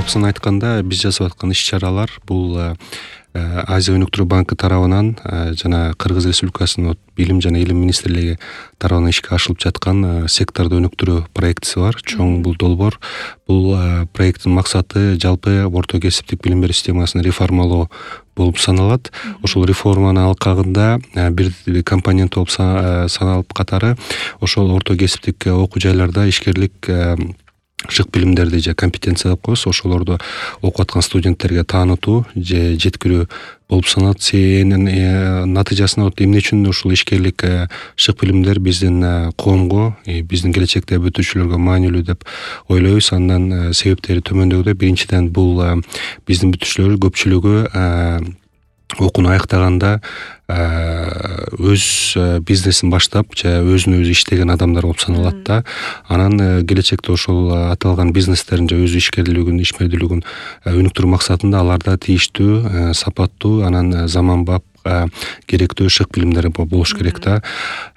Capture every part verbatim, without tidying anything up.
Чапсын айтканда, биз жасап аткан иш-чаралар бул Азия өнүктүрүү банкы тарабынан жана Кыргыз Республикасынын билим жана илим министрлиги тарабынан ишке ашырылып жаткан секторду өнүктүрүү проектиси бар. Чоң бул долбоор. Бул проекттин максаты жалпы орто кесиптик билим берүү системасын реформалоо болуп саналат. Ошол реформанын алкагында бир компонент болуп саналып катары ошол орто кесиптик окуу жайларда ишкерлик шык билимдерди же компетенция деп коебуз, ошолорду окуп аткан студенттерге таанытуу же жеткирүү болуп саналат. Сенин натыйжасында эмне үчүн ушул ишкерлик шык билимдер биздин коомго, биздин келечекте бүтүүчүлөргө маанилүү деп ойлойбуз. Андан себептери төмөндөгүдөй. Биринчиден, бул биздин бүтүүчүлөр көпчүлүгү окууну аяктаганда өз бизнесин баштап же өзүнө өзү иштеген адамдар болуп саналат да. Анан келечекте ошол аталган бизнестерин же өз ишкерлигин, ишмердүүлүгүн өнүктүрүү максатында аларда тийиштүү, сапаттуу, анан заманбап керектүү шык билимдер болуш керек да.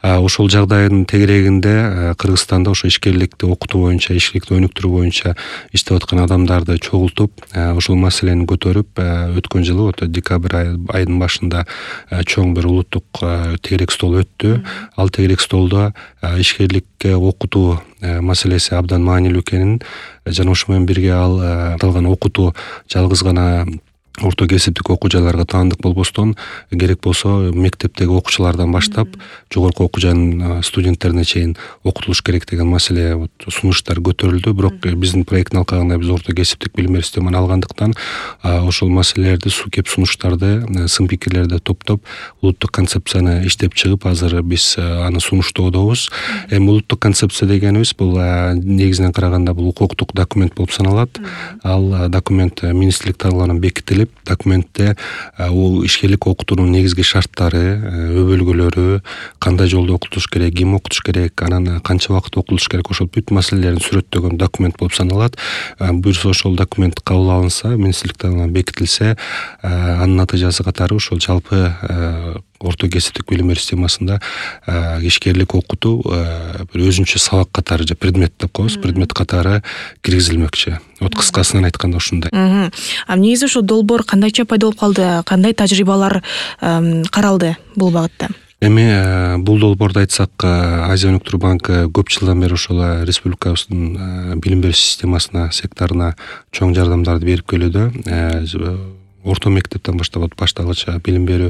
Ошол жагдайдын тегерегинде Кыргызстанда ошо ишкерликти окутуу боюнча, ишкерликти өнүктүрүү боюнча иштеп аткан адамдарды чогултуп, ошол маселени көтөрүп, өткөн жылы декабрь айынын башында чоң бир улуттук тегерек стол өттү. Ал тегерек столдо ишкерликке окутуу маселеси абдан маанилүү экенин жана ошо менен бирге ал аталган окутуу жалгыз гана орто кесиптик окуу жайларга таандык болбостон, керек болсо мектептеги окуучулардан баштап жогорку окуу жайынын студенттерине чейин окутулуш керек деген маселе, сунуштар көтөрүлдү. Бирок биздин проекттин алкагында биз орто кесиптик билим берүү системаны алгандыктан ошол маселелерди, кеп сунуштарды, сын пикирлерди топтоп, улуттук концепцияны иштеп чыгып, азыр биз аны сунуштоодобуз. Эми улуттук концепция дегенибиз бул негизинен караганда бул укуктук документ болуп саналат. Ал документ министрлик тарабынан бекитилип, документте ишкерлик окутуунун негизги шарттары, өбөлгөлөрү, кандай жолдо окутуш керек, ким окутуш керек, анан канча убакыт окутуш керек, ошол бүт маселелерин сүрөттөгөн документ болуп саналат. Буюрса ошол документ кабыл алынса, министрлик тарабынан бекитилсе, анын натыйжасы катары ошол жалпы орто кесиптик билим берүү системасында ишкерлик окутуу бир өзүнчө сабак катары же предмет деп коебуз, предмет катары киргизилмекчи. Вот кыскасынан айтканда ушундай. А негизи ошо долбоор кандайча пайда болуп калды, кандай тажрыйбалар каралды бул багытта? Эми бул долбоорду айтсак, Азия өнүктүрүү банкы көп жылдан бери ошол республикабыздын билим берүү системасына, секторуна чоң жардамдарды берип келүүдө. Орто мектептен баштап башталгыч билим берүү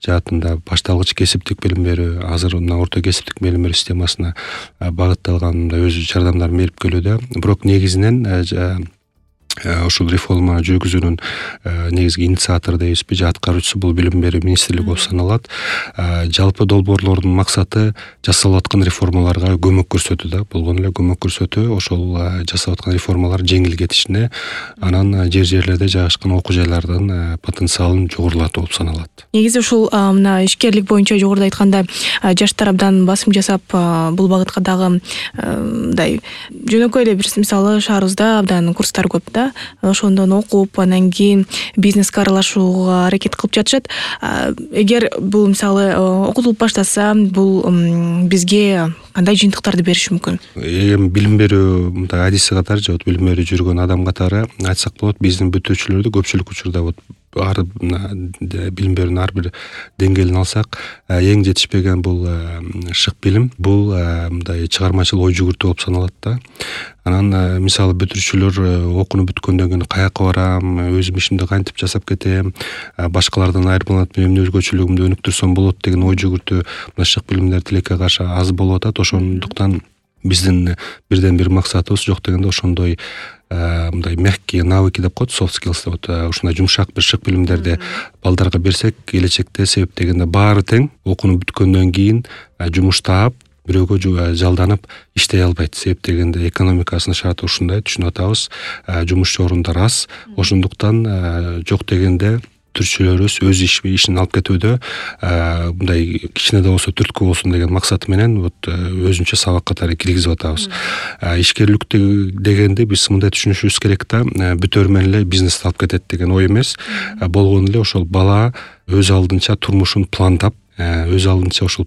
жаатында, башталгыч кесиптик билим берүү, азыр мына орто кесиптик билим берүү системасына багытталган өз жардамдарын берип келүүдө. Бирок негизинен ушул реформа жүргүзүүнүн негизги инициатору дейбизби же аткаруучусу бул билим берүү министрлиги болуп саналат. Жалпы долбоорлордун максаты жасалып аткан реформаларга көмөк көрсөтүү да, болгону эле көмөк көрсөтүү, ошол жасап аткан реформалар жеңил кетишине, анан жер жерлерде жайгашкан окуу жайлардын потенциалын жогорулатуу болуп саналат. Негизи ушул мына ишкерлик боюнча жогоруда айтканда жаштар абдан басым жасап бул багытка дагы мындай жөнөкөй эле бир мисалы шаарыбызда абдан курстар көп да. Ошондон окуп, анан кийин бизнеске аралашууга аракет кылып жатышат. Эгер бул мисалы окутулуп баштаса, бул бизге кандай жыйынтыктарды бериши мүмкүн? Эми билим берүү мындай адиси катары же билим берүү жүргөн адам катары айтсак болот, биздин бүтүүчүлөрдү көпчүлүк учурда вот ар билим берүүнүн ар бир деңгээлин алсак, эң жетишпеген бул шык билим, бул мындай чыгармачыл ой жүгүртүү болуп саналат да. Анан мисалы бүтүүчүлөр окууну бүткөндөн кийин каяка барам, өзүм ишимди кантип жасап кетем, башкалардан айырмаланып эмне өзгөчөлүгүмдү өнүктүрсөм болот деген ой жүгүртүү мына шык билимдер тилекке каршы аз болуп атат. Ошондуктан биздин бирден бир максатыбыз жок дегенде ошондой мындай мягкие навыки деп коет, soft skills деп, ушундай жумшак бир шык билимдерди балдарга берсек, келечекте себеп дегенде баары тең окууну бүткөндөн кийин жумуш таап, бирөөгө жалданып иштей албайт. Себеп дегенде экономикасынын шарты ушундай, түшүнүп атабыз. Жумуш орундар аз. Ошондуктан жок дегенде бүтүүчүлөрүбүз өз ишин алып кетүүдө мындай кичине да болсо түрткү болсун деген максаты менен вот өзүнчө сабак катары киргизип атабыз. Ишкерлик дегенде биз мындай түшүнүшүбүз керек да, бүтөр менен эле бизнести алып кетет деген ой эмес. Болгону эле ошол бала өз алдынча турмушун пландап, өз алдынча ошол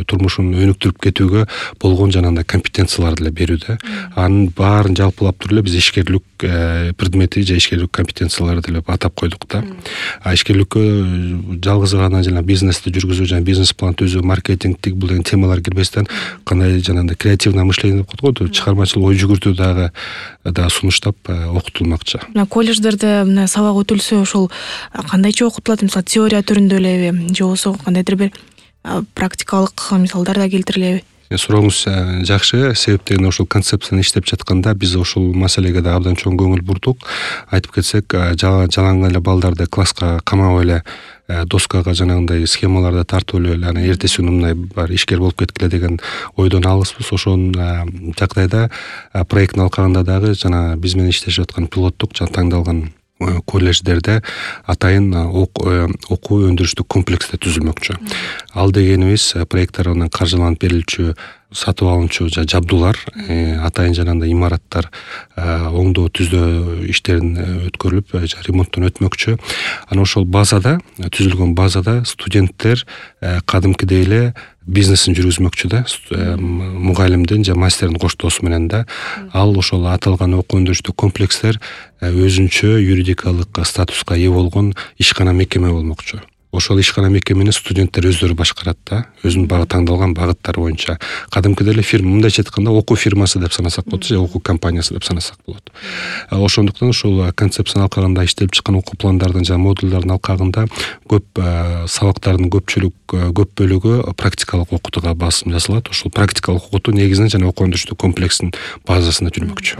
турмушун өнүктүрүп кетүүгө болгон жанагындай компетенцияларды эле берүүдө. Анын баарын жалпылап туруп эле биз ишкерлик предмети же ишкерлик компетенцияларды эле атап койдук да. А ишкерликкө жалгыз гана жана бизнести жүргүзүү жана бизнес план түзүү, маркетингтик бул деген темалар кирбестен кандай жанагындай креативное мышление деп коет го, чыгармачыл ой жүгүртүү дагы да сунуштап окутулмакчы. Мына колледждерде мына сабак өтүлсө ошол кандайча окутулат? Мисалы теория түрүндө элеби же болбосо кандайдыр бир практикалык мисалдар да келтирилеби? Сурооңуз жакшы, себеп дегенде ошол концепцияны иштеп жатканда биз ошол маселеге да абдан чоң көңүл бурдук. Айтып кетсек, жалаң эле балдарды класска камап эле доскага жанагындай схемаларды тартып эле анан эртеси күнү мындай бар ишкер болуп кеткиле деген ойдон алыспыз. Ошонун жагдайда проекттин алкагында дагы жана биз менен иштешип аткан пилоттук жана тандалган колледждерде атайын окуу өндүрүштүк комплексте түзүлмөкчү. Ал дегенибиз проект тарабынан каржыланып берилчү сатып алынчу жабдуулар, атайын жанагындай имараттар оңдоо түздөө иштерин өткөрүлүп, ремонттон өтмөкчү. Анан ошол базада, түзүлгөн базада студенттер кадимкидей эле бизнесин жүргүзмөкчү да, мугалимдин же мастердин коштоосу менен да. Ал ошол аталган окуу өндүрүштүк комплекстер өзүнчө юридикалык статуска ээ болгон ишкана мекеме болмокчу. Ошол ишкана мекемени студенттер өздөрү башкарат да, өзүнүн багы тандалган багыттары боюнча. Кадимкидей эле фирма, мындайча айтканда окуу фирмасы деп санасак болот, же окуу компаниясы деп санасак болот. Ошондуктан ушул концепциянын алкагында иштелип чыккан окуу пландардын жана модулдардын алкагында көп сабактардын көпчүлүк көп бөлүгү практикалык окутууга басым жасалат. Ошол практикалык окутуу негизинен жана окуу өндүрүштүк комплекстин базасында жүрмөкчү.